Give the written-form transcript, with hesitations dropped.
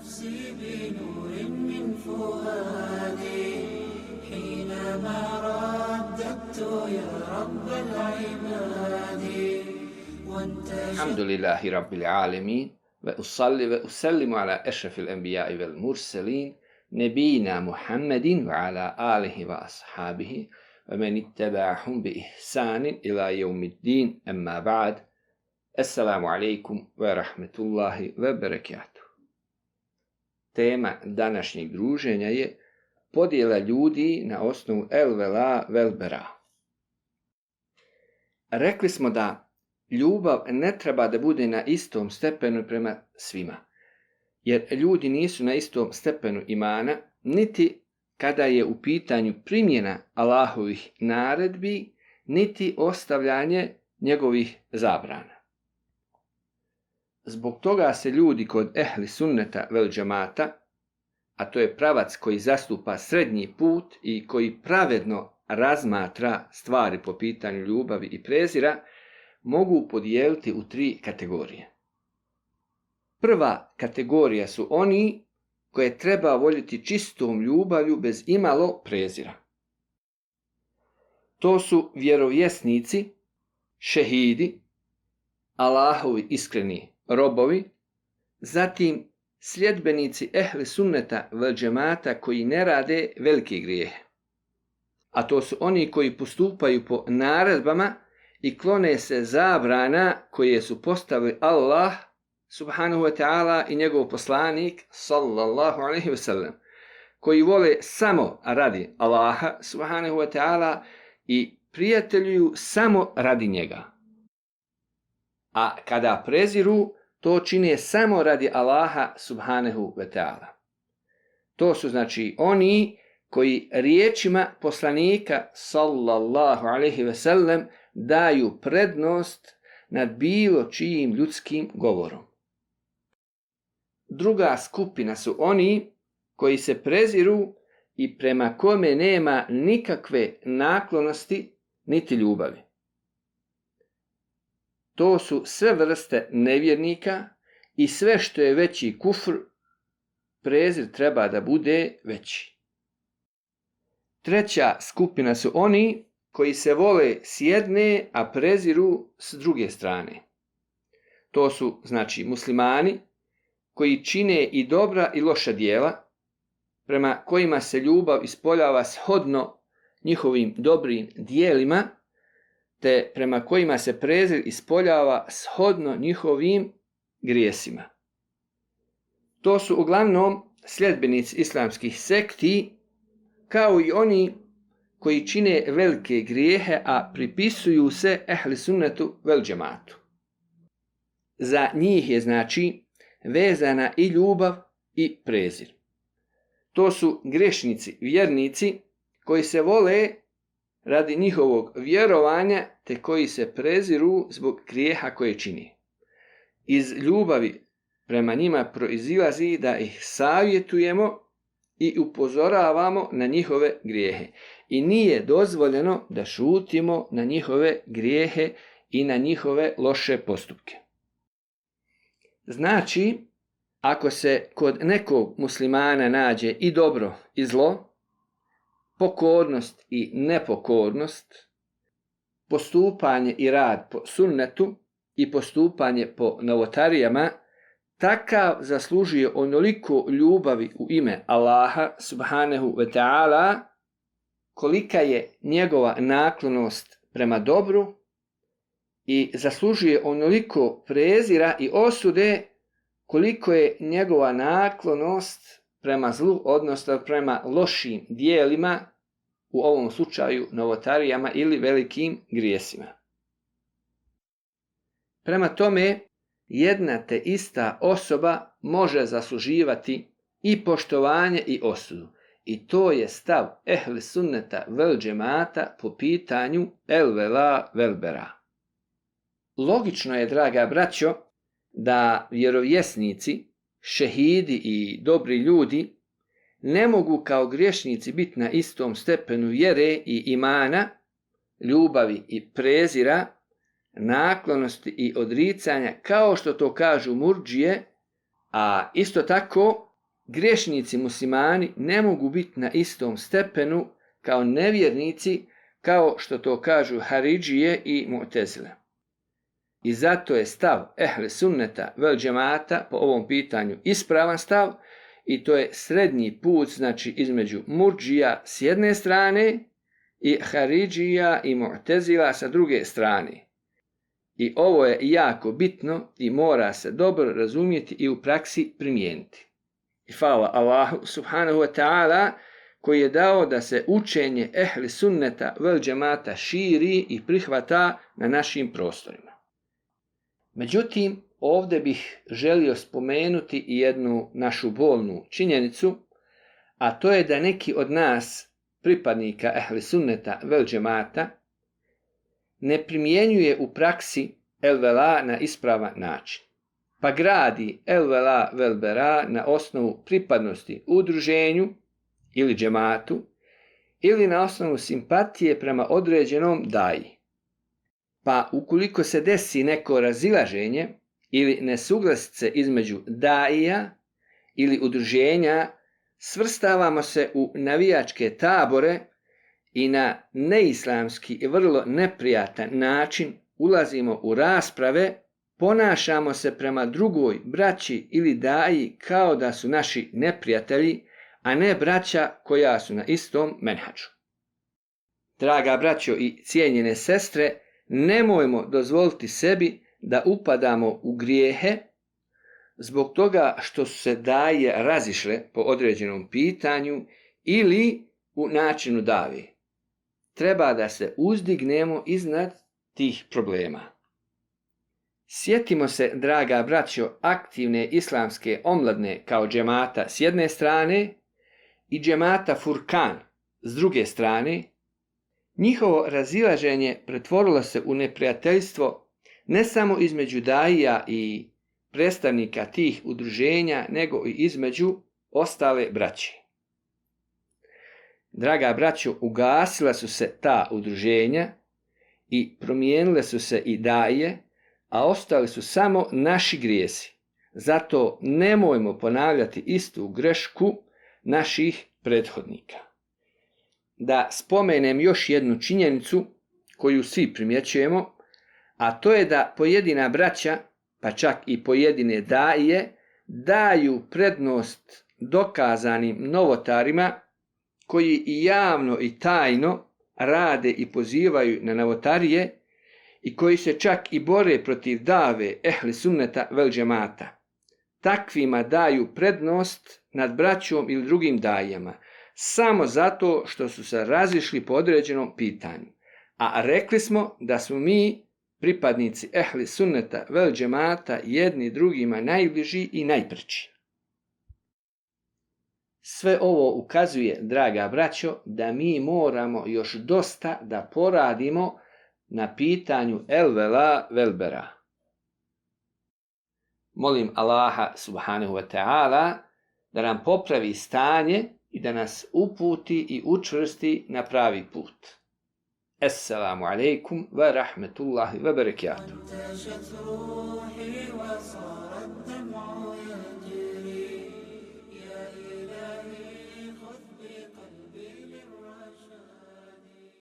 نفسي بنور من فؤادي حينما رددت يا رب العباد الحمد لله رب العالمين وأصلي وأسلم على أشرف الأنبياء والمرسلين نبينا محمد وعلى آله وأصحابه ومن اتبعهم بإحسان إلى يوم الدين أما بعد السلام عليكم ورحمة الله وبركاته. Tema današnjeg druženja je podjela ljudi na osnovu el vela vel bera. Rekli smo da ljubav ne treba da bude na istom stepenu prema svima, jer ljudi nisu na istom stepenu imana, niti kada je u pitanju primjena Allahovih naredbi, niti ostavljanje njegovih zabrana. Zbog toga se ljudi kod ehli sunneta vel džemata, a to je pravac koji zastupa srednji put i koji pravedno razmatra stvari po pitanju ljubavi i prezira, mogu podijeliti u 3 kategorije. Prva kategorija su oni koje treba voljeti čistom ljubavlju bez imalo prezira. To su vjerovjesnici, šehidi, Allahovi iskreni robovi, zatim sljedbenici ehli sunneta vel džemata koji ne rade velike grijehe. A to su oni koji postupaju po naredbama i klone se zabrana koje su postavili Allah subhanahu wa ta'ala i njegov poslanik sallallahu alaihi wa sallam, koji vole samo radi Allaha subhanahu wa ta'ala i prijateljuju samo radi njega. A kada preziru, to čine samo radi Allaha subhanahu wa ta'ala. To su znači oni koji riječima poslanika sallallahu alaihi wa sallam daju prednost nad bilo čijim ljudskim govorom. Druga skupina su oni koji se preziru i prema kome nema nikakve naklonosti niti ljubavi. To su sve vrste nevjernika i sve što je veći kufr, prezir treba da bude veći. Treća skupina su oni koji se vole s jedne, a preziru s druge strane. To su znači muslimani koji čine i dobra i loša djela, prema kojima se ljubav ispoljava shodno njihovim dobrim djelima, te prema kojima se prezir ispoljava shodno njihovim grijesima. To su uglavnom sljedbenici islamskih sekti, kao i oni koji čine velike grijehe, a pripisuju se ehli sunnetu vel džematu. Za njih je znači vezana i ljubav i prezir. To su grešnici, vjernici koji se vole radi njihovog vjerovanja, te koji se preziru zbog grijeha koje čini. Iz ljubavi prema njima proizilazi da ih savjetujemo i upozoravamo na njihove grijehe. I nije dozvoljeno da šutimo na njihove grijehe i na njihove loše postupke. Znači, ako se kod nekog muslimana nađe i dobro i zlo, pokornost i nepokornost, postupanje i rad po sunnetu i postupanje po novotarijama, takav zaslužuje onoliko ljubavi u ime Allaha subhanahu wa ta'ala, kolika je njegova naklonost prema dobru, i zaslužuje onoliko prezira i osude koliko je njegova naklonost prema zlu, odnosno prema lošim dijelima, u ovom slučaju novotarijama ili velikim grijesima. Prema tome, jedna te ista osoba može zasluživati i poštovanje i osudu. I to je stav ehli sunneta vel džemata po pitanju el vela vel bera. Logično je, draga braćo, da vjerovjesnici, šehidi i dobri ljudi ne mogu kao griješnici biti na istom stepenu vjere i imana, ljubavi i prezira, naklonosti i odricanja, kao što to kažu murdžije, a isto tako griješnici muslimani ne mogu biti na istom stepenu kao nevjernici, kao što to kažu Haridžije i Mu'tezile. I zato je stav ehli sunneta vel džemata po ovom pitanju ispravan stav, i to je srednji put, znači između murdžija s jedne strane i Haridžija i Mu'tezila sa druge strane. I ovo je jako bitno i mora se dobro razumjeti i u praksi primijeniti. I hvala Allahu subhanahu wa ta'ala koji je dao da se učenje ehli sunneta vel džemata širi i prihvata na našim prostorima. Međutim, ovdje bih želio spomenuti i jednu našu bolnu činjenicu, a to je da neki od nas, pripadnika ehli sunneta vel džemata, ne primjenjuje u praksi el vela na ispravan način, pa gradi el vela vel bera na osnovu pripadnosti udruženju ili džematu ili na osnovu simpatije prema određenom daji. Pa ukoliko se desi neko razilaženje ili nesuglasice između daija ili udruženja, svrstavamo se u navijačke tabore i na neislamski i vrlo neprijatan način ulazimo u rasprave, ponašamo se prema drugoj braći ili daji kao da su naši neprijatelji, a ne braća koja su na istom menhadžu. Draga braćo i cijenjene sestre, nemojmo dozvoliti sebi da upadamo u grijehe zbog toga što su se daje razišle po određenom pitanju ili u načinu dave. Treba da se uzdignemo iznad tih problema. Sjetimo se, draga braćo, aktivne islamske omladne kao džemata s jedne strane i džemata Furkan s druge strane. Njihovo razilaženje pretvorilo se u neprijateljstvo ne samo između daija i predstavnika tih udruženja, nego i između ostale braće. Draga braćo, ugasila su se ta udruženja i promijenile su se i daje, a ostali su samo naši grijesi. Zato nemojmo ponavljati istu grešku naših prethodnika. Da spomenem još jednu činjenicu koju svi primjećujemo, a to je da pojedina braća, pa čak i pojedine daje, daju prednost dokazanim novotarima koji i javno i tajno rade i pozivaju na novotarije i koji se čak i bore protiv dave ehli sunneta vel džemata. Takvima daju prednost nad braćom ili drugim dajama, samo zato što su se razišli po određenom pitanju. A rekli smo da smo mi, pripadnici ehli sunneta vel džemata, jedni drugima najbliži i najpreći. Sve ovo ukazuje, draga braćo, da mi moramo još dosta da poradimo na pitanju el vela vel bera. Molim Allaha subhanahu wa ta'ala da nam popravi stanje i da nas uputi i učvrsti na pravi put. Assalamu alaikum wa rahmetullahi wa barakatuh.